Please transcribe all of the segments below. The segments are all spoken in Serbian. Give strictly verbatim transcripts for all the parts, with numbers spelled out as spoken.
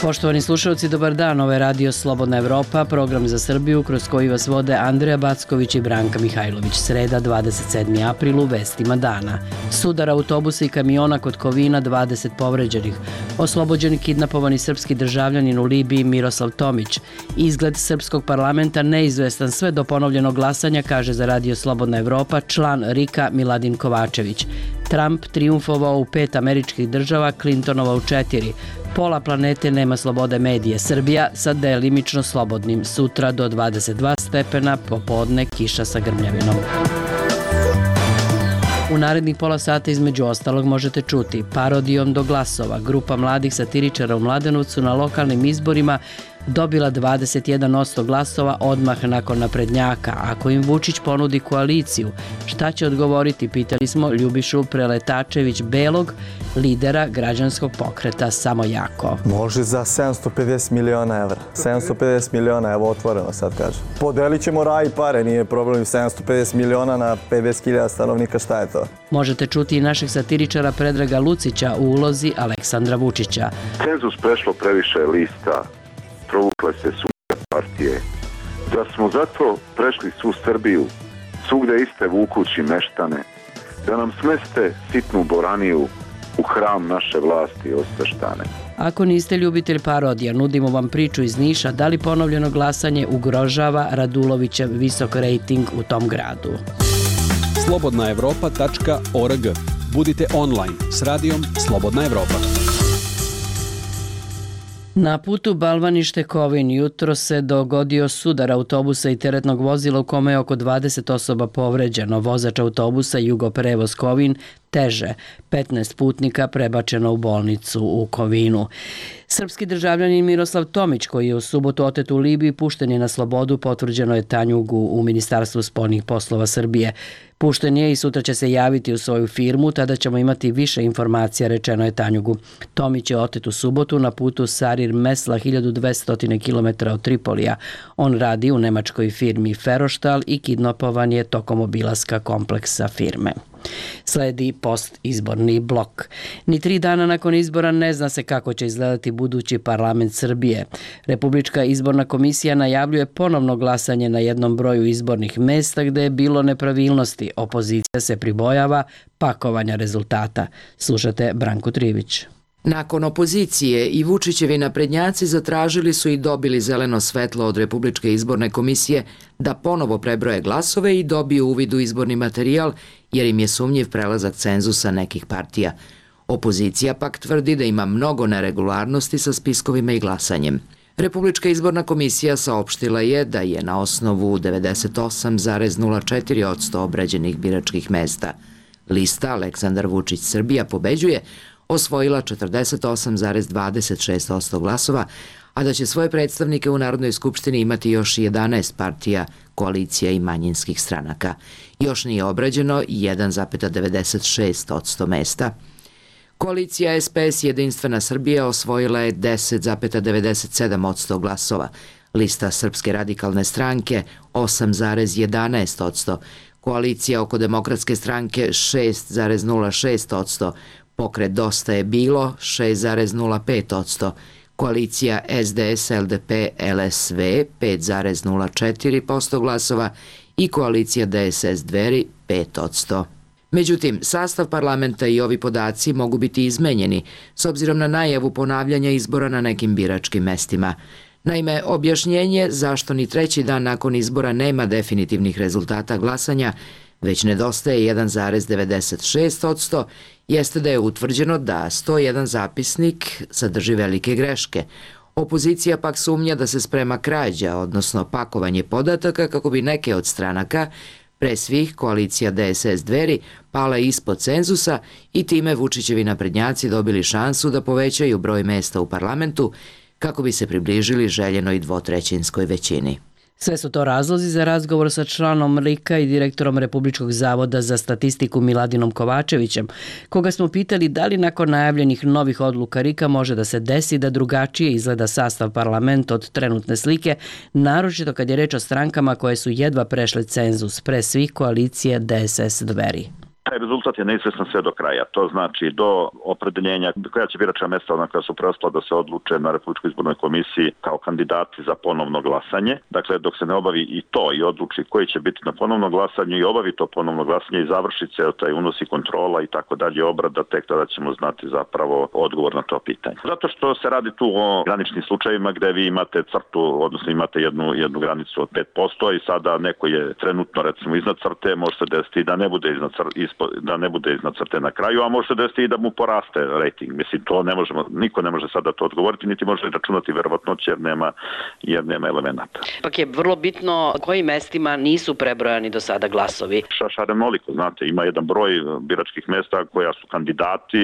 Poštovani slušalci, dobar dan. Ovo je Radio Slobodna Evropa, program za Srbiju kroz koji vas vode Andreja Backović i Branka Mihajlović. Sreda, dvadeset sedmi april, u vestima dana. Sudar autobusa i kamiona kod Kovina, dvadeset povređenih. Oslobođen kidnapovani srpski državljanin u Libiji Miroslav Tomić. Izgled srpskog parlamenta neizvestan sve do ponovljenog glasanja, kaže za Radio Slobodna Evropa član RIK-a Miladin Kovačević. Trump triumfovao u pet američkih država, Clintonova u četiri. Pola planete nema slobode medije. Srbija sa delimično slobodnim. Sutra do dvadeset dva stepena, popodne kiša sa grmljavinom. U narednih pola sata između ostalog možete čuti parodijom do glasova. Grupa mladih satiričara u Mladenovcu na lokalnim izborima dobila dvadeset jedan posto glasova odmah nakon naprednjaka. Ako im Vučić ponudi koaliciju, šta će odgovoriti, pitali smo Ljubišu Preletačević-Belog, lidera građanskog pokreta Samo jako. Može za sedamsto pedeset miliona evra. sedamsto pedeset miliona, evo otvoreno sad kažem. Podelit ćemo raj i pare, nije problem. sedamsto pedeset miliona na pedeset hiljada stanovnika, šta je to? Možete čuti i našeg satiričara Predraga Lucića u ulozi Aleksandra Vučića. Cenzus prešlo previše lista, provukle se svugde partije. Da smo zato prešli svu Srbiju, svugde iste vukući meštane, da nam smeste sitnu boraniju u hram naše vlasti osveštane. Ako niste ljubitelj parodija, nudimo vam priču iz Niša da li ponovljeno glasanje ugrožava Radulovićev visok rejting u tom gradu. slobodna evropa tačka org. Budite online s radijom Slobodna Evropa. Na putu Balvanište-Kovin jutro se dogodio sudar autobusa i teretnog vozila u kome je oko dvadeset osoba povređeno. Vozač autobusa Jugoprevoz Kovin teže. petnaest putnika prebačeno u bolnicu u Kovinu. Srpski državljanin Miroslav Tomić, koji je u subotu otet u Libiji, pušten je na slobodu, potvrđeno je Tanjugu u Ministarstvu spoljnih poslova Srbije. Pušten je i sutra će se javiti u svoju firmu, tada ćemo imati više informacija, rečeno je Tanjugu. Tomić je otet u subotu na putu Sarir Mesla, hiljadu dvesta kilometara od Tripolija. On radi u nemačkoj firmi Ferostal i kidnapovan je tokom obilaska kompleksa firme. Sledi postizborni blok. Ni tri dana nakon izbora ne zna se kako će izgledati budući parlament Srbije. Republička izborna komisija najavljuje ponovno glasanje na jednom broju izbornih mesta gde je bilo nepravilnosti. Opozicija se pribojava pakovanja rezultata. Slušate Branku Trivić. Nakon opozicije i Vučićevi naprednjaci zatražili su i dobili zeleno svetlo od Republičke izborne komisije da ponovo prebroje glasove i dobiju uvid u izborni materijal jer im je sumnjiv prelazak cenzusa nekih partija. Opozicija pak tvrdi da ima mnogo neregularnosti sa spiskovima i glasanjem. Republička izborna komisija saopštila je da je na osnovu devedeset osam zarez nula četiri posto obrađenih biračkih mesta lista Aleksandar Vučić Srbija pobeđuje osvojila četrdeset osam zarez dvadeset šest posto glasova, a da će svoje predstavnike u Narodnoj skupštini imati još jedanaest partija, koalicija i manjinskih stranaka. Još nije obrađeno jedan zarez devedeset šest posto mesta. Koalicija S P S Jedinstvena Srbija osvojila je deset zarez devedeset sedam posto glasova, lista Srpske radikalne stranke osam zarez jedanaest posto, koalicija oko Demokratske stranke šest zarez nula šest posto, Pokret Dosta je bilo šest zarez nula pet posto, koalicija S D S L D P L S V pet zarez nula četiri posto glasova i koalicija D S S Dveri pet posto. Međutim, sastav parlamenta i ovi podaci mogu biti izmenjeni s obzirom na najavu ponavljanja izbora na nekim biračkim mestima. Naime, objašnjenje zašto ni treći dan nakon izbora nema definitivnih rezultata glasanja, već nedostaje jedan zarez devedeset šest posto, jeste da je utvrđeno da sto jedan zapisnik sadrži velike greške. Opozicija pak sumnja da se sprema krađa, odnosno pakovanje podataka kako bi neke od stranaka, pre svih koalicija D S S Dveri, pala ispod cenzusa i time Vučićevi naprednjaci dobili šansu da povećaju broj mesta u parlamentu kako bi se približili željenoj dvotrećinskoj većini. Sve su to razlozi za razgovor sa članom RIK-a i direktorom Republičkog zavoda za statistiku Miladinom Kovačevićem, koga smo pitali da li nakon najavljenih novih odluka RIK-a može da se desi da drugačije izgleda sastav parlamenta od trenutne slike, naročito kad je reč o strankama koje su jedva prešle cenzus, pre svih koalicije D S S Dveri. Taj rezultat je neizvestan sve do kraja. To znači do opredeljenja koja će biračka mesta ona koja su preostala da se odluče na Republičkoj izbornoj komisiji kao kandidati za ponovno glasanje. Dakle, dok se ne obavi i to i odluči koji će biti na ponovno glasanje i obavi to ponovno glasanje i završi se taj unos i kontrola i tako dalje obrada, tek tada ćemo znati zapravo odgovor na to pitanje. Zato što se radi tu o graničnim slučajevima gde vi imate crtu, odnosno imate jednu, jednu granicu od pet posto i sada neko je trenutno recimo iznad crte, može se desiti da ne bude iznad crte, da ne bude iznad crte na kraju, a može se desiti i da mu poraste rating. Mislim, to ne možemo, niko ne može sada to odgovoriti, niti može računati verovatnoće jer nema, jer nema elemenata. Pak je vrlo bitno kojim mestima nisu prebrojani do sada glasovi. Šarenoliko, znate, ima jedan broj biračkih mesta koja su kandidati,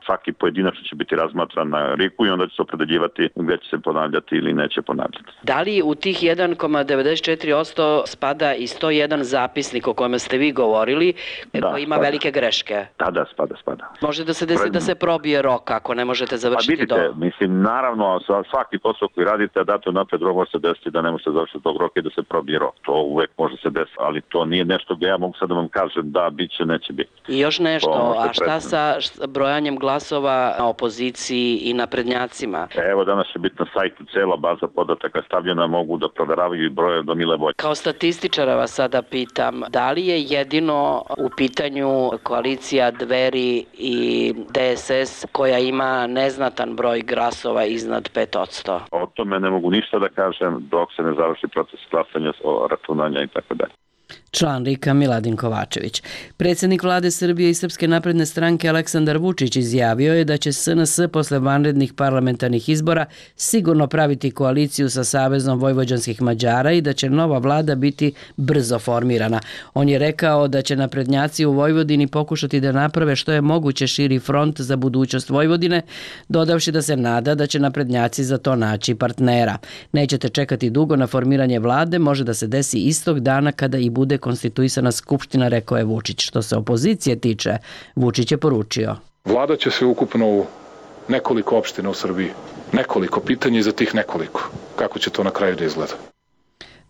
svaki pojedinačno će biti razmatran na riku i onda će se opredeljivati gde će se ponavljati ili neće ponavljati. Da li u tih jedan zarez devedeset četiri posto spada i sto jedan zapisnik o kojem ste vi govorili, da, koji ima spada. Velike greške? Da, da, spada, spada. Može da se desi da se probije rok ako ne možete završiti pa vidite, do... mislim, naravno, svaki posao koji radite, a date napred rok može se desiti da ne može se završiti tog roka i da se probije rok. To uvek može se desiti, ali to nije nešto gde ja mogu sad da vam kažem da bit će, neće biti. I još nešto, a šta sa brojanjem glasova na opoziciji i naprednjacima? Evo, danas će biti na sajtu cela baza podataka stavljena, mogu da proveravaju i broje do mile volje. Kao statističara vas sada pitam, da li je jedino u pitanju koalicija Dveri i D S S koja ima neznatan broj glasova iznad pet posto? O tome ne mogu ništa da kažem dok se ne završi proces glasanja, računanja i tako dalje. Član RIK-a Miladin Kovačević. Predsjednik vlade Srbije i Srpske napredne stranke Aleksandar Vučić izjavio je da će S N S posle vanrednih parlamentarnih izbora sigurno praviti koaliciju sa Savezom vojvođanskih Mađara i da će nova vlada biti brzo formirana. On je rekao da će naprednjaci u Vojvodini pokušati da naprave što je moguće širi front za budućnost Vojvodine, dodavši da se nada da će naprednjaci za to naći partnera. Nećete čekati dugo na formiranje vlade, može da se desi istog dana kada i bude konstituisana skupština, rekao je Vučić. Što se opozicije tiče, Vučić je poručio. Vlada će se ukupno u nekoliko opština u Srbiji. Nekoliko pitanja i za tih nekoliko. Kako će to na kraju da izgleda?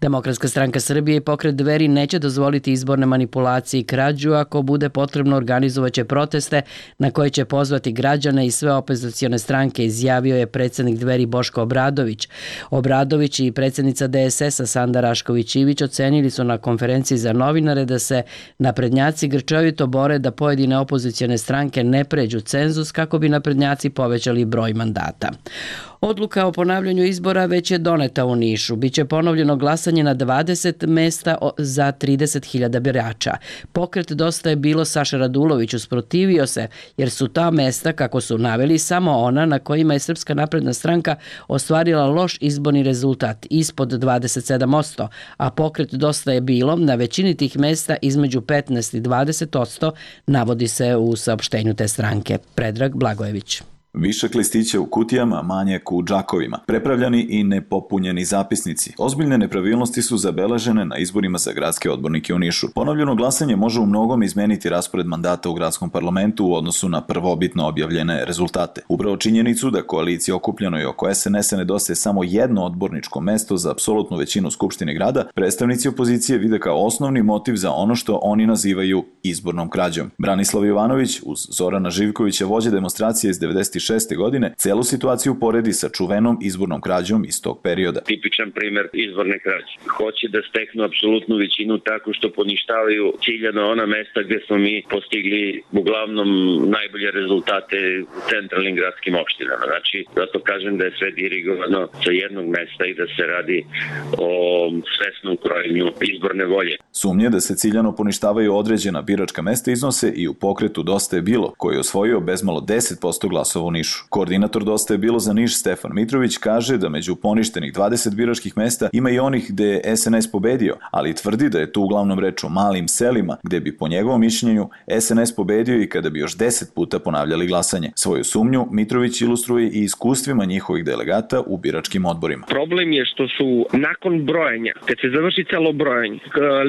Demokratska stranka Srbije i pokret Dveri neće dozvoliti izborne manipulacije i krađu. Ako bude potrebno, organizovaće proteste na koje će pozvati građane i sve opozicione stranke, izjavio je predsjednik Dveri Boško Obradović. Obradović i predsjednica D S S-a Sanda Rašković-Ivić ocenili su na konferenciji za novinare da se naprednjaci grčevito bore da pojedine opozicione stranke ne pređu cenzus kako bi naprednjaci povećali broj mandata. Odluka o ponavljanju izbora već je doneta u Nišu. Biće ponovljeno glasanje na dvadeset mesta za trideset hiljada birača. Pokret Dosta je bilo Saša Radulović usprotivio se jer su ta mesta, kako su naveli, samo ona na kojima je Srpska napredna stranka ostvarila loš izborni rezultat, ispod dvadeset sedam posto, a pokret Dosta je bilo na većini tih mesta između petnaest i dvadeset posto, navodi se u saopštenju te stranke. Predrag Blagojević. Višak listića u kutijama, manjak u džakovima, prepravljani i nepopunjeni zapisnici. Ozbiljne nepravilnosti su zabeležene na izborima za gradske odbornike u Nišu. Ponovljeno glasanje može u mnogom izmeniti raspored mandata u gradskom parlamentu u odnosu na prvobitno objavljene rezultate. Upravo činjenicu da koaliciji okupljenoj oko S N S-a nedostaje samo jedno odborničko mesto za apsolutnu većinu Skupštine grada, predstavnici opozicije vide kao osnovni motiv za ono što oni nazivaju izbornom krađom. Branislav Jovanović uz Zorana Živkovića, vođa demonstracije iz devedeset šeste godine, celu situaciju poredi sa čuvenom izbornom krađom iz tog perioda. Tipičan primer izborne krađe. Hoće da steknu apsolutnu većinu tako što poništavaju ciljano ona mesta gde smo mi postigli uglavnom najbolje rezultate u centralnim gradskim opštinama. Znači, zato kažem da je sve dirigovano sa jednog mesta i da se radi o svesnom krojenju izborne volje. Sumnje da se ciljano poništavaju određena biračka mesta iznose i u pokretu Dosta je bilo, koji je osvojio bezmalo deset posto glasova u Nišu. Koordinator Dosta je bilo za Niš Stefan Mitrović kaže da među poništenih dvadeset biračkih mesta ima i onih gde je S N S pobedio, ali tvrdi da je tu uglavnom reč o malim selima gde bi po njegovom mišljenju S N S pobedio i kada bi još deset puta ponavljali glasanje. Svoju sumnju Mitrović ilustruje i iskustvima njihovih delegata u biračkim odborima. Problem je što su nakon brojanja, kad se završi celo brojanje,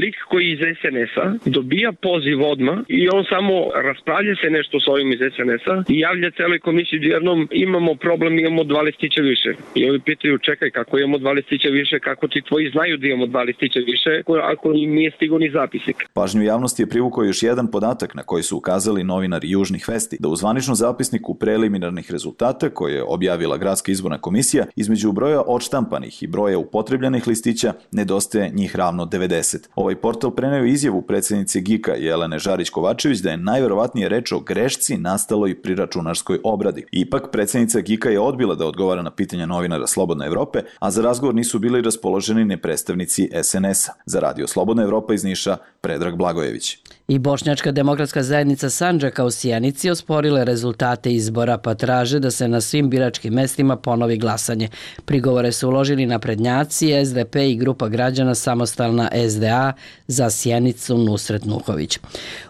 lik koji iz S N S-a dobija poziv odmah i on samo raspravlja se nešto s ovim iz S N S-a i javlja celoj komisiji subsidijarnom imamo problem, imamo dva listića više. I ovi pitaju, čekaj, kako imamo dva listića više, kako ti tvoji znaju da imamo dva listića više, ako im nije stigao ni zapisnik. Pažnju javnosti je privukao još jedan podatak na koji su ukazali novinari Južnih vesti, da u zvaničnom zapisniku preliminarnih rezultata koje je objavila Gradska izborna komisija, između broja odštampanih i broja upotrebljenih listića nedostaje njih ravno devedeset. Ovaj portal preneo izjavu predsjednice G I K-a Jelene Žarić-Kovačević da je najverovatnije reč o grešci nastaloj pri računarskoj obradi. Ipak, predsjednica G I K-a je odbila da odgovara na pitanja novinara Slobodna Evrope, a za razgovor nisu bili raspoloženi ni predstavnici S N S-a. Za Radio Slobodna Evropa iz Niša, Predrag Blagojević. I Bošnjačka demokratska zajednica Sandžaka u Sjenici osporile rezultate izbora, pa traže da se na svim biračkim mestima ponovi glasanje. Prigovore su uložili naprednjaci, S D P i grupa građana Samostalna S D A za Sjenicu Nusret Nuhović.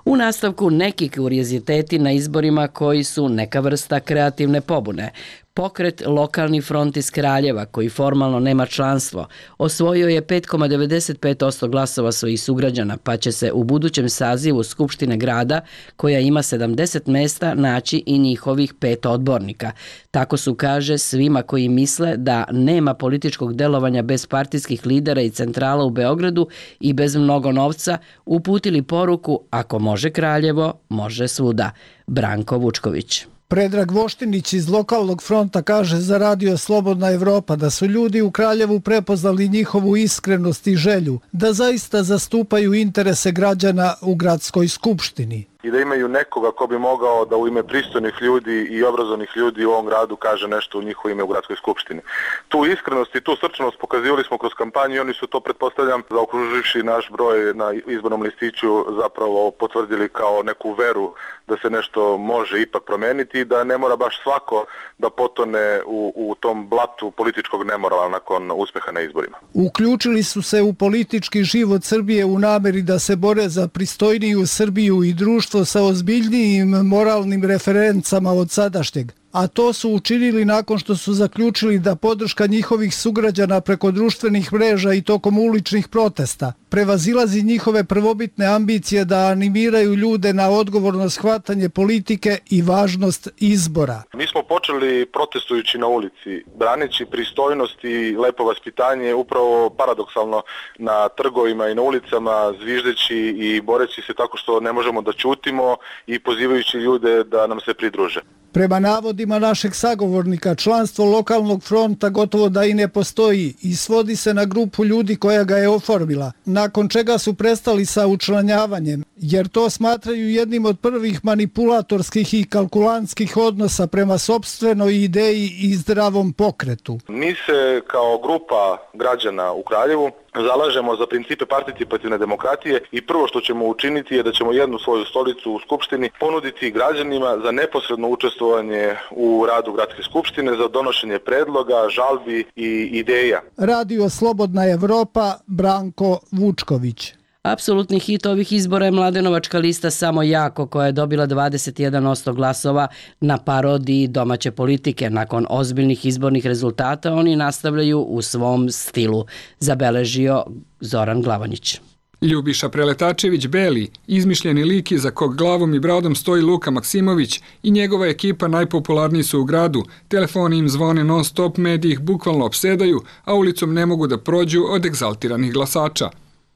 U nastavku neki kurioziteti na izborima koji su neka vrsta kreativne pobune. Pokret Lokalni front iz Kraljeva, koji formalno nema članstvo, osvojio je pet zarez devedeset pet posto glasova svojih sugrađana, pa će se u budućem sazivu Skupštine grada, koja ima sedamdeset mesta, naći i njihovih pet odbornika. Tako su, kaže, svima koji misle da nema političkog delovanja bez partijskih lidera i centrala u Beogradu i bez mnogo novca, uputili poruku: ako može Kraljevo, može svuda. Branko Vučković. Predrag Voštinić iz Lokalnog fronta kaže za Radio Slobodna Evropa da su ljudi u Kraljevu prepoznali njihovu iskrenost i želju da zaista zastupaju interese građana u gradskoj skupštini. I da imaju nekoga ko bi mogao da u ime pristojnih ljudi i obrazovnih ljudi u ovom gradu kaže nešto u njihovo ime u gradskoj skupštini. Tu iskrenost i tu srčanost pokazivali smo kroz kampanju i oni su to, pretpostavljam, zaokruživši naš broj na izbornom listiću, zapravo potvrdili kao neku veru da se nešto može ipak promeniti i da ne mora baš svako da potone u, u tom blatu političkog nemorala nakon uspeha na izborima. Uključili su se u politički život Srbije u nameri da se bore za pristojniju Srbiju i društvo sa ozbiljnijim moralnim referencama od sadašnjeg, a to su učinili nakon što su zaključili da podrška njihovih sugrađana preko društvenih mreža i tokom uličnih protesta prevazilazi njihove prvobitne ambicije da animiraju ljude na odgovorno shvatanje politike i važnost izbora. Mi smo počeli protestujući na ulici, braneći pristojnost i lepo vaspitanje, upravo paradoksalno na trgovima i na ulicama, zviždeći i boreći se tako što ne možemo da ćutimo i pozivajući ljude da nam se pridruže. Prema navodima našeg sagovornika, članstvo Lokalnog fronta gotovo da i ne postoji i svodi se na grupu ljudi koja ga je oformila, nakon čega su prestali sa učlanjavanjem, jer to smatraju jednim od prvih manipulatorskih i kalkulantskih odnosa prema sopstvenoj ideji i zdravom pokretu. Mi se kao grupa građana u Kraljevu zalažemo za principe participativne demokratije i prvo što ćemo učiniti je da ćemo jednu svoju stolicu u Skupštini ponuditi građanima za neposredno učestvovanje u radu Gradske skupštine, za donošenje predloga, žalbi i ideja. Radio Slobodna Evropa, Branko Vučković. Apsolutni hit ovih izbora je mladenovačka lista Samo jako, koja je dobila dvadeset jedan posto glasova na parodiji domaće politike. Nakon ozbiljnih izbornih rezultata oni nastavljaju u svom stilu, zabeležio Zoran Glavanić. Ljubiša Preletačević Beli, izmišljeni lik iza kog glavom i bradom stoji Luka Maksimović i njegova ekipa najpopularniji su u gradu. Telefoni im zvone non stop, mediji ih bukvalno opsedaju, a ulicom ne mogu da prođu od egzaltiranih glasača.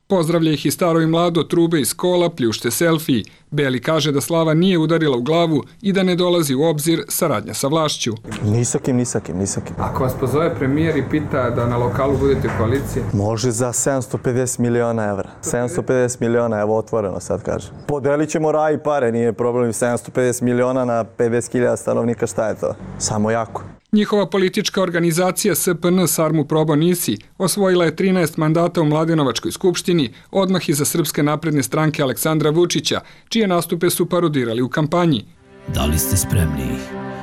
Pozdravlja ih i staro i mlado, trube iz kola, pljušte selfiji. Beli kaže da slava nije udarila u glavu i da ne dolazi u obzir saradnja sa vlašću. Nisakim, nisakim, nisakim. Ako vas pozove premijer i pita da na lokalu budete u koaliciji? Može za sedamsto pedeset miliona evra. sedamsto pedeset miliona, evo otvoreno sad kažem. Podelit ćemo raj i pare, nije problem. sedamsto pedeset miliona na pedeset hiljada stanovnika, šta je to? Samo jako. Njihova politička organizacija S P N Sarmu Probo Nisi osvojila je trinaest mandata u Mladenovačkoj skupštini, odmah iza Srpske napredne stranke Aleksandra Vučića, čije nastupe su parodirali u kampanji. Da li ste spremni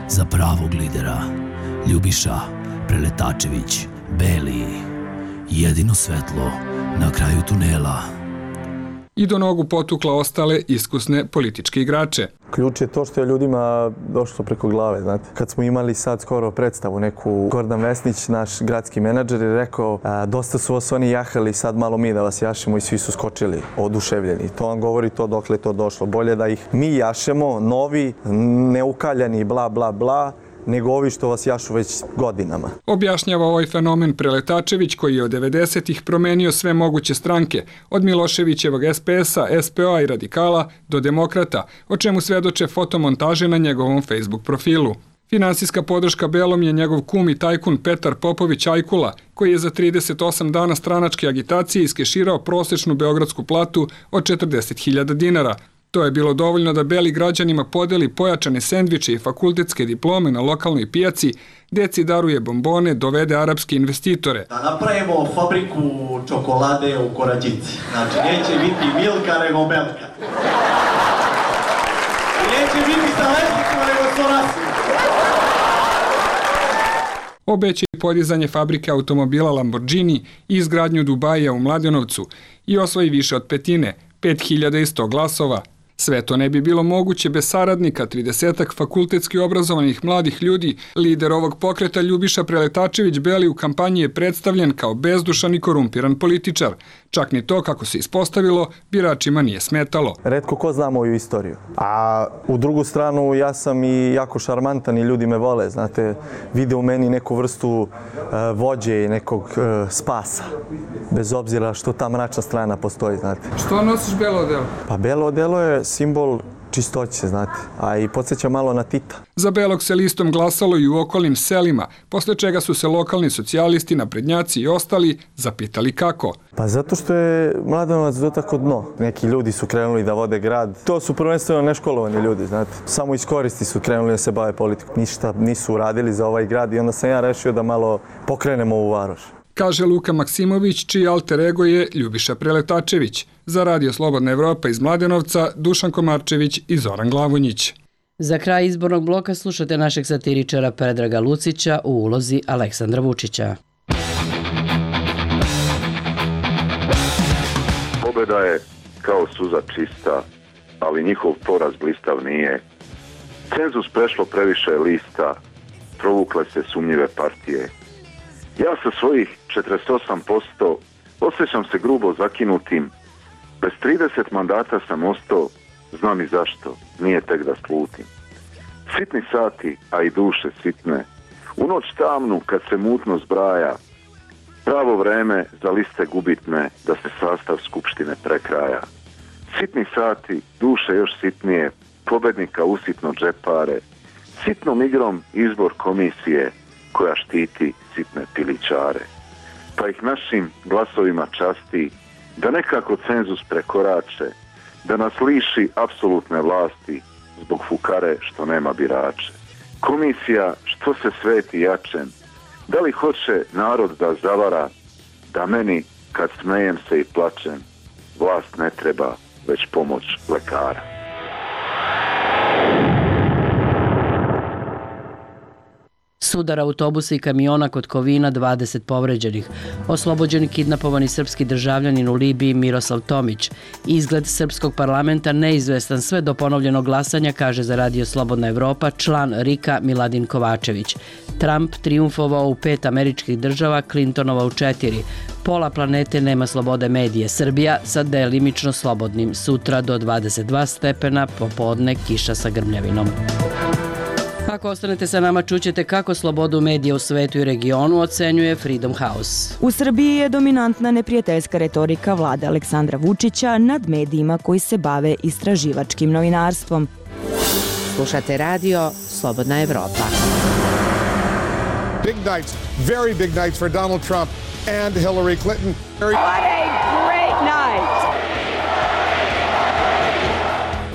za pravog lidera? Ljubiša Preletačević Beli, jedino svetlo na kraju tunela. I do nogu potukla ostale iskusne političke igrače. Ključ je to što je ljudima došlo preko glave, znate. Kad smo imali sad skoro predstavu neku, Gordan Vesnić, naš gradski menadžer, je rekao a, dosta su vas oni jahali, sad malo mi da vas jašemo i svi su skočili, oduševljeni. To vam govori to dokle to došlo. Bolje da ih mi jašemo, novi, neukaljani, bla, bla, bla, nego ovi što vas jašu već godinama. Objašnjava ovaj fenomen Preletačević koji je od devedesetih promenio sve moguće stranke, od Miloševićevog es pe es-a, es pe o-a i Radikala do Demokrata, o čemu svedoče fotomontaže na njegovom Facebook profilu. Finansijska podrška Belom je njegov kum i tajkun Petar Popović Ajkula, koji je za trideset osam dana stranačke agitacije iskeširao prosečnu beogradsku platu od četrdeset hiljada dinara. To je bilo dovoljno da Beli građanima podeli pojačane sendviče i fakultetske diplome na lokalnoj pijaci, deci daruje bombone, dovede arapske investitore. Da napravimo fabriku čokolade u Korađici. Znači, neće biti Milka, nego Melka. I neće biti sa lesnicima, nego s orasima. Obeća i podizanje fabrike automobila Lamborghini i izgradnju Dubaija u Mladenovcu i osvoji više od petine, pet hiljada sto glasova. Sve to ne bi bilo moguće bez saradnika, tridesetak fakultetski obrazovanih mladih ljudi. Lider ovog pokreta Ljubiša Preletačević Beli u kampanji je predstavljen kao bezdušan i korumpiran političar. Čak ni to, kako se ispostavilo, biračima nije smetalo. Retko ko zna moju istoriju. A u drugu stranu ja sam i jako šarmantan i ljudi me vole. Znate, vide u meni neku vrstu uh, vođe i nekog uh, spasa. Bez obzira što ta mračna strana postoji, znate. Što nosiš belo odelo? Pa belo odelo je simbol čistoće, znate, a i podsjeća malo na Tita. Za Belog se listom glasalo i u okolnim selima, posle čega su se lokalni socijalisti, naprednjaci i ostali zapitali kako. Pa zato što je Mladenovac dotako dno. Neki ljudi su krenuli da vode grad. To su prvenstveno neškolovani ljudi, znate. Samo iz koristi su krenuli da se bave politikom. Ništa nisu uradili za ovaj grad i onda sam ja rešio da malo pokrenemo ovu varoš. Kaže Luka Maksimović, čiji alter ego je Ljubiša Preletačević. Za Radio Slobodna Evropa iz Mladenovca, Dušan Komarčević i Zoran Glavonjić. Za kraj izbornog bloka slušate našeg satiričara Predraga Lucića u ulozi Aleksandra Vučića. Pobeda je kao suza čista, ali njihov poraz blistav nije. Cenzus prešlo previše lista, provukle se sumnjive partije. Ja sa svojih četrdeset osam posto osjećam se grubo zakinutim. Bez trideset mandata sam ostao, znam i zašto, nije tek da slutim. Sitni sati, a i duše sitne, u noć tamnu kad se mutno zbraja, pravo vreme za liste gubitne da se sastav skupštine prekraja. Sitni sati, duše još sitnije, pobednika usitno džepare, sitnom igrom izbor komisije koja štiti sitne pilićare. Pa ih našim glasovima časti da nekako cenzus prekorače, da nas liši apsolutne vlasti zbog fukare što nema birače. Komisija što se sveti jačem, da li hoće narod da zavara, da meni kad smejem se i plačem, vlast ne treba već pomoć lekara. Sudar autobusa i kamiona kod Kovina, dvadeset povređenih. Oslobođen kidnapovani srpski državljanin u Libiji Miroslav Tomić. Izgled srpskog parlamenta neizvestan sve do ponovljenog glasanja, kaže za Radio Slobodna Evropa član RIK-a Miladin Kovačević. Trump triumfovao u pet američkih država, Clintonova u četiri. Pola planete nema slobode medije. Srbija sa delimično slobodnim. Sutra do dvadeset dva stepena, popodne kiša sa grmljavinom. Ako ostanete sa nama, čućete kako slobodu medija u svetu i regionu ocenjuje Freedom House. U Srbiji je dominantna neprijateljska retorika vlade Aleksandra Vučića nad medijima koji se bave istraživačkim novinarstvom. Slušate radio Slobodna Evropa. Big nights, very big nights for Donald Trump and Hillary Clinton. What a great night!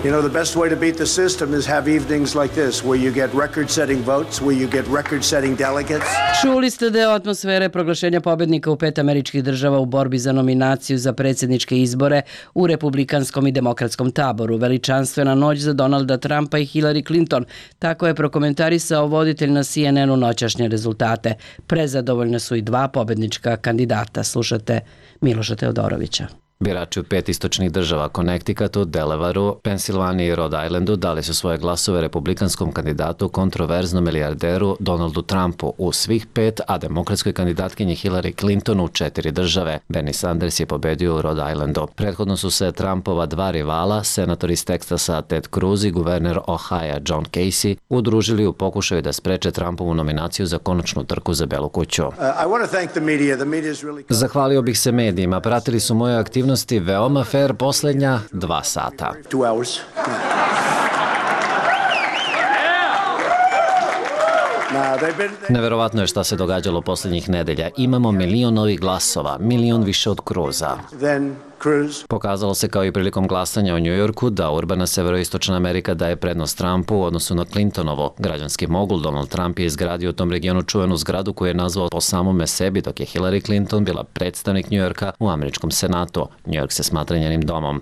You know, the best way to beat the system is have evenings like this, where you get record-setting votes, where you get record-setting delegates. Čuli ste deo atmosfere proglašenja pobednika u pet američkih država u borbi za nominaciju za predsjedničke izbore u republikanskom i demokratskom taboru. Veličanstvena noć za Donalda Trumpa i Hillary Clinton. Tako je prokomentarisao voditelj na C N N-u noćašnje rezultate. Prezadovoljna su i dva pobednička kandidata. Slušate Miloša Teodorovića. Birači u pet istočnih država, Connecticutu, Delawareu, Pensilvaniji i Rhode Islandu dali su svoje glasove republikanskom kandidatu, kontroverznom milijarderu Donaldu Trumpu u svih pet, a demokratskoj kandidatkinji Hillary Clinton u četiri države. Bernie Sanders je pobedio u Rhode Islandu. Prethodno su se Trumpova dva rivala, senator iz Teksasa Ted Cruz i guverner Ohio John Casey, udružili u pokušaju da spreče Trumpovu nominaciju za konačnu trku za Belu kuću. Zahvalio bih se medijima, pratili su moje aktivnosti veoma fair poslednja dva sata. Neverovatno je šta se događalo poslednjih nedelja. Imamo milion novih glasova, milion više od Cruza. Pokazalo se kao i prilikom glasanja u Njujorku da urbana severoistočna Amerika daje prednost Trumpu u odnosu na Clintonovo. Građanski mogul Donald Trump je izgradio u tom regionu čuvenu zgradu koju je nazvao po samome sebi, dok je Hillary Clinton bila predstavnik Njujorka u američkom senatu. Njujork se smatra njenim domom.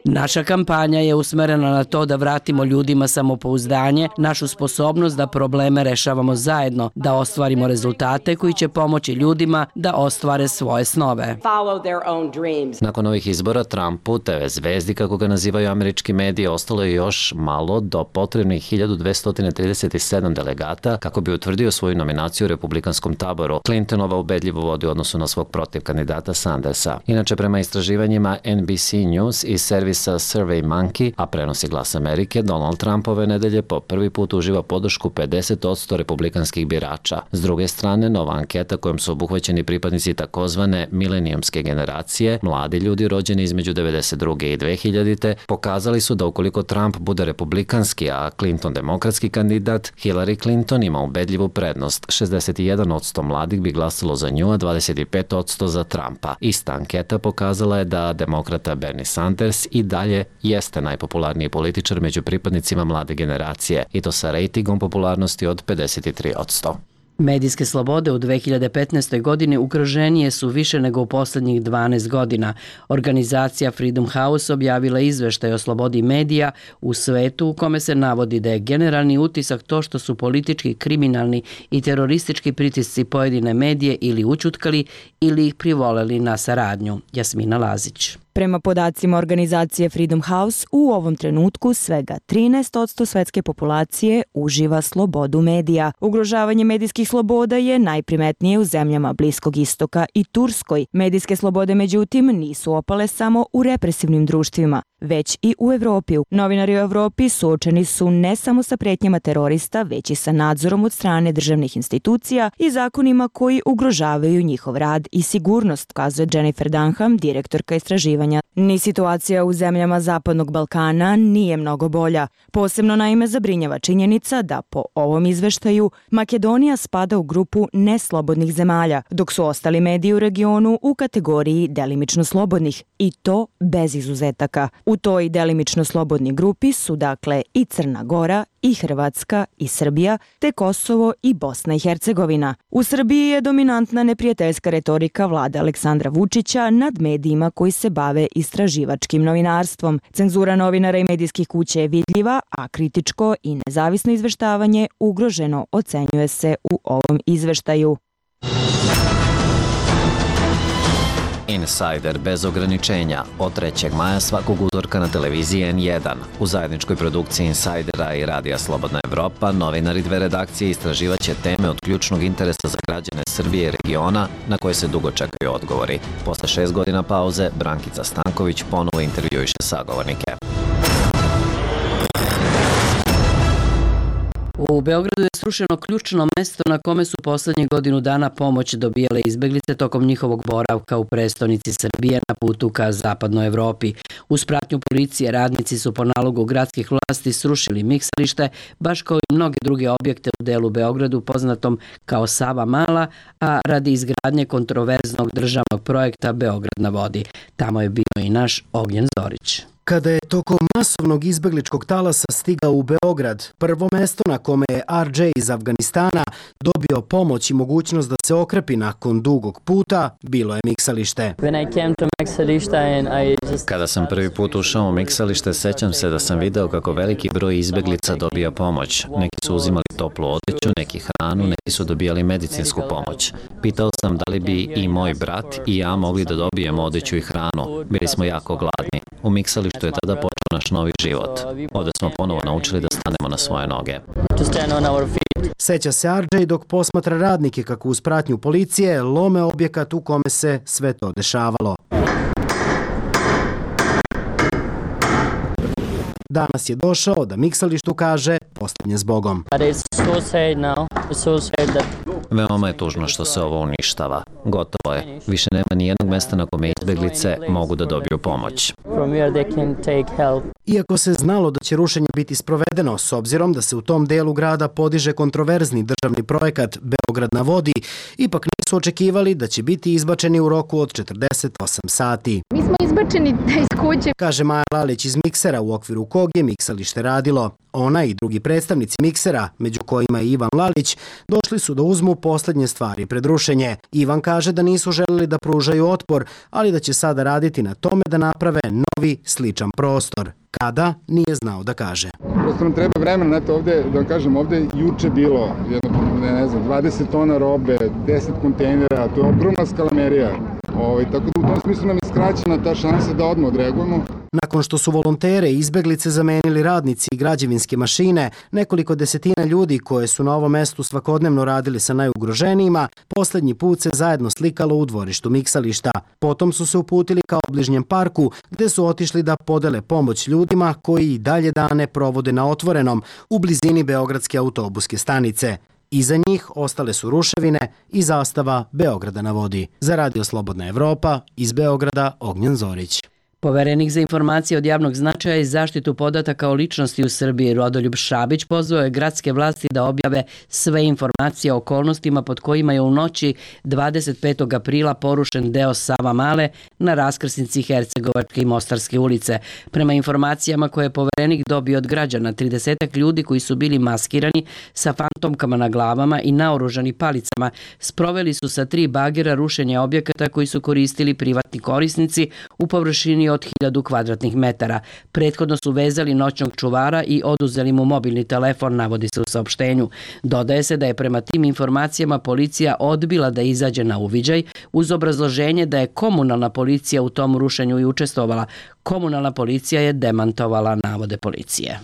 Naša kampanja je usmerena na to da vratimo ljudima samopouzdanje, našu sposobnost da probleme rešavamo zajedno, da ostvarimo rezultate koji će pomoći ljudima da ostvare svoje snove. Nakon ovih izbora Trumpu, te ve zvezdi kako ga nazivaju američki mediji, ostalo je još malo do potrebnih hiljadu dvesta trideset sedam delegata kako bi utvrdio svoju nominaciju u republikanskom taboru. Clintonova ubedljivo vodi u odnosu na svog protiv kandidata Sandersa. Inače, prema istraživanjima N B C News i servisa Survey Monkey, a prenosi Glas Amerike, Donald Trump ove nedelje po prvi put uživa podršku pedeset posto republikanskih birača. S druge strane, nova anketa kojom su obuhvaćeni pripadnici takozvane milenijumske generacije, mladi ljudi rođeni između devedeset druge i dve hiljadite, pokazali su da ukoliko Trump bude republikanski, a Clinton demokratski kandidat, Hillary Clinton ima ubedljivu prednost. šezdeset jedan posto mladih bi glasalo za nju, a dvadeset pet posto za Trumpa. Ista anketa pokazala je da demokrata Bernie Sanders i dalje jeste najpopularniji političar među pripadnicima mlade generacije, i to sa rejtingom popularnosti od pedeset tri posto. Medijske slobode u dve hiljade petnaestoj. godini ugroženije su više nego u poslednjih dvanaest godina. Organizacija Freedom House objavila izveštaj o slobodi medija u svetu u kome se navodi da je generalni utisak to što su politički, kriminalni i teroristički pritisci pojedine medije ili ućutkali ili ih privoleli na saradnju. Jasmina Lazić. Prema podacima organizacije Freedom House, u ovom trenutku svega trinaest posto svetske populacije uživa slobodu medija. Ugrožavanje medijskih sloboda je najprimetnije u zemljama Bliskog istoka i Turskoj. Medijske slobode, međutim, nisu opale samo u represivnim društvima, već i u Evropi. Novinari u Evropi suočeni su ne samo sa pretnjama terorista, već i sa nadzorom od strane državnih institucija i zakonima koji ugrožavaju njihov rad i sigurnost, kazuje Jennifer Dunham, direktorka istraživanja. Ni situacija u zemljama Zapadnog Balkana nije mnogo bolja. Posebno naime zabrinjava činjenica da po ovom izveštaju Makedonija spada u grupu neslobodnih zemalja, dok su ostali mediji u regionu u kategoriji delimično slobodnih, i to bez izuzetaka. U toj delimično slobodnoj grupi su dakle i Crna Gora, i Hrvatska, i Srbija, te Kosovo i Bosna i Hercegovina. U Srbiji je dominantna neprijateljska retorika vlade Aleksandra Vučića nad medijima koji se bave istraživačkim novinarstvom. Cenzura novinara i medijskih kuća je vidljiva, a kritičko i nezavisno izveštavanje ugroženo, ocenjuje se u ovom izveštaju. Insider bez ograničenja od trećeg maja svakog utorka na televiziji N jedan. U zajedničkoj produkciji Insidera i Radija Slobodna Evropa novinari dve redakcije istraživaće teme od ključnog interesa za građane Srbije i regiona na koje se dugo čekaju odgovori. Posle šest godina pauze, Brankica Stanković ponovo intervjuiše sagovornike. U Beogradu je srušeno ključno mesto na kome su poslednjih godinu dana pomoć dobijale izbeglice tokom njihovog boravka u prestonici Srbije na putu ka zapadnoj Evropi. Uz pratnju policije radnici su po nalogu gradskih vlasti srušili miksalište, baš kao i mnoge druge objekte u delu Beogradu poznatom kao Sava Mala, a radi izgradnje kontroverznog državnog projekta Beograd na vodi. Tamo je bio i naš Ognjen Zorić. Kada je tokom masovnog izbegličkog talasa stigao u Beograd, prvo mesto na kome je R J iz Afganistana dobio pomoć i mogućnost da se okrepi nakon dugog puta bilo je miksalište. Kada sam prvi put ušao u miksalište, sećam se da sam video kako veliki broj izbeglica dobija pomoć. Neki su uzimali toplu odeću, neki hranu, neki su dobijali medicinsku pomoć. Pitao sam da li bi i moj brat i ja mogli da dobijemo odeću i hranu. Bili smo jako gladni. U miksalištu je tada počeo naš novi život. Ovde smo ponovo naučili da stanemo na svoje noge. Seća se Arđej dok posmatra radnike kako uz pratnju policije lome objekat u kome se sve to dešavalo. Danas je došao da miksalištu kaže poslednje s Bogom. Veoma je tužno što se ovo uništava. Gotovo je. Više nema ni jednog mesta na kome izbeglice mogu da dobiju pomoć. Iako se znalo da će rušenje biti sprovedeno, s obzirom da se u tom delu grada podiže kontroverzni državni projekat Beograd na vodi, ipak nisu očekivali da će biti izbačeni u roku od četrdeset osam sati. Mi smo izbačeni iz kuće, kaže Maja Lalić iz Miksera, u okviru kog je miksalište radilo. Ona i drugi predstavnici Miksera, među kojima je Ivan Lalić, došli su da uzmu poslednje stvari pred rušenje. Ivan kaže da nisu želeli da pružaju otpor, ali da će sada raditi na tome da naprave novi sličan prostor. Kada, nije znao da kaže. Prosto nam treba vremena, znate, ovde, da vam kažem, ovde je juče bilo jedno, ne, ne znam, dvadeset tona robe, deset kontejnera, to je ogromna skalamerija. Ovaj, tako da u tom smislu nam je skraćena ta šansa da odmah odreagujemo. Nakon što su volontere i izbeglice zamenili radnici i građevinske mašine, nekoliko desetina ljudi koje su na ovom mestu svakodnevno radili sa najugroženijima, poslednji put se zajedno slikalo u dvorištu miksališta. Potom su se uputili ka obližnjem parku, gde su otišli da podele pomoć ljudima koji i dalje dane provode na otvorenom u blizini Beogradske autobuske stanice. Iza njih ostale su ruševine i zastava Beograda na vodi. Za Radio Slobodna Evropa, iz Beograda, Ognjen Zorić. Poverenik za informacije od javnog značaja i zaštitu podataka o ličnosti u Srbiji Rodoljub Šabić pozvao je gradske vlasti da objave sve informacije o okolnostima pod kojima je u noći dvadeset petog aprila porušen deo Savamale na raskrsnici Hercegovačke i Mostarske ulice. Prema informacijama koje je Poverenik dobio od građana, tridesetak ljudi koji su bili maskirani sa fantomkama na glavama i naoružani palicama sproveli su sa tri bagera rušenje objekata koji su koristili privatni korisnici u površini od hiljadu kvadratnih metara. Prethodno su vezali noćnog čuvara i oduzeli mu mobilni telefon, navodi se u saopštenju. Dodaje se da je prema tim informacijama policija odbila da izađe na uviđaj uz obrazloženje da je komunalna policija u tom rušenju i učestvovala. Komunalna policija je demantovala navode policije.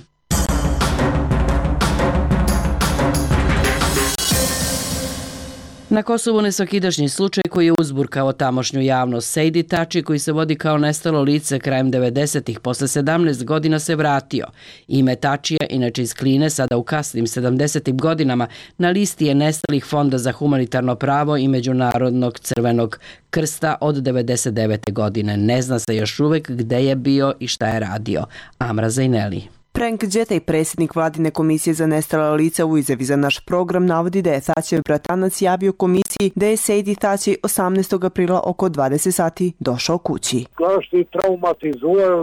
Na Kosovu nesvakidašnji slučaj koji je uzburkao tamošnju javnost. Sejdi Tači, koji se vodi kao nestalo lice krajem devedesetih, posle sedamnaest godina se vratio. Ime Tačija, inače iz Kline, sada u kasnim sedamdesetim godinama, na listi je nestalih Fonda za humanitarno pravo i Međunarodnog crvenog krsta od devedeset devete godine. Ne zna se još uvek gde je bio i šta je radio. Amra Zajneli. Frank Đetej, predsjednik vladine komisije za nestala lica, u izjavi za naš program navodi da je Tačijev bratanac javio komisiji da je Sejdi Tači osamnaestog aprila oko dvadeset sati došao kući.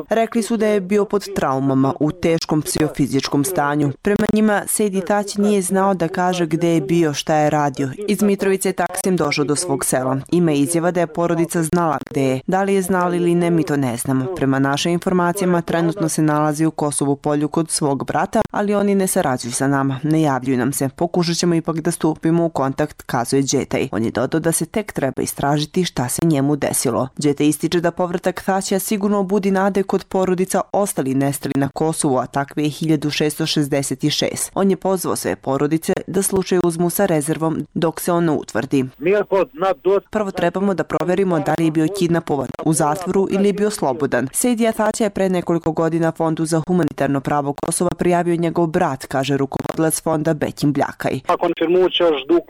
Rekli su da je bio pod traumama u teškom psihofizičkom stanju. Prema njima Sejdi Tači nije znao da kaže gde je bio, šta je radio. Iz Mitrovice je taksim došao do svog sela. Ima izjava da je porodica znala gde je. Da li je znala ili ne, mi to ne znamo. Prema našim informacijama trenutno se nalazi u Kosovu Polju kod svog brata, ali oni ne sarađuju sa nama, ne javljuju nam se. Pokušat ćemo ipak da stupimo u kontakt, kazuje Đetej. On je dodao da se tek treba istražiti šta se njemu desilo. Đetej ističe da povratak Tačija sigurno budi nade kod porodica ostali nestali na Kosovu, a takve je hiljadu šessto šezdeset šest. On je pozvao sve porodice da slučaj uzmu sa rezervom dok se on ne utvrdi. Prvo trebamo da proverimo da li je bio kidnapovan u zatvoru ili je bio slobodan. Sejdi Tačija je pre nekoliko godina Fondu za humanitarno pravo Kosova prijavio njegov brat, kaže rukovodilac fonda Bekim Bljakaj.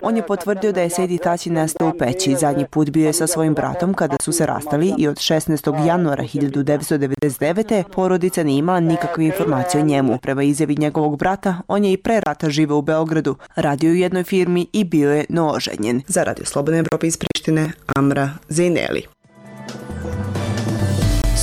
On je potvrdio da je Sejdi Tači nestao u Peći. Zadnji put bio je sa svojim bratom kada su se rastali i od šesnaestog januara hiljadu devetsto devedeset devete. porodica nije imala nikakve informacije o njemu. Prema izjavi njegovog brata, on je i pre rata živeo u Beogradu, radio u jednoj firmi i bio je nooženjen. Za Radio Slobodna Evropa iz Prištine, Amra Zejneli.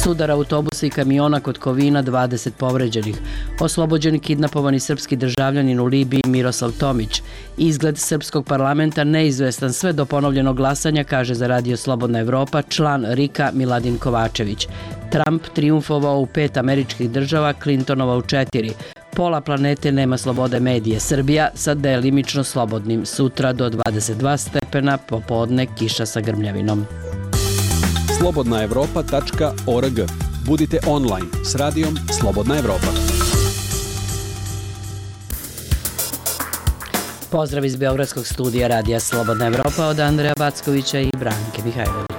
Sudar autobusa i kamiona kod Kovina, dvadeset povređenih. Oslobođeni kidnapovani srpski državljanin u Libiji Miroslav Tomić. Izgled srpskog parlamenta neizvestan sve do ponovljenog glasanja, kaže za Radio Slobodna Evropa član RIK-a Miladin Kovačević. Trump triumfovao u pet američkih država, Clintonova u četiri. Pola planete nema slobode medije. Srbija sa delimično slobodnim. Sutra do dvadeset dva stepena, popodne kiša sa grmljavinom. slobodna evropa tačka org. Budite online s radijom Slobodna Evropa. Pozdrav iz Beogradskog studija Radija Slobodna Evropa od Andreja Backovića i Branke Mihajlović.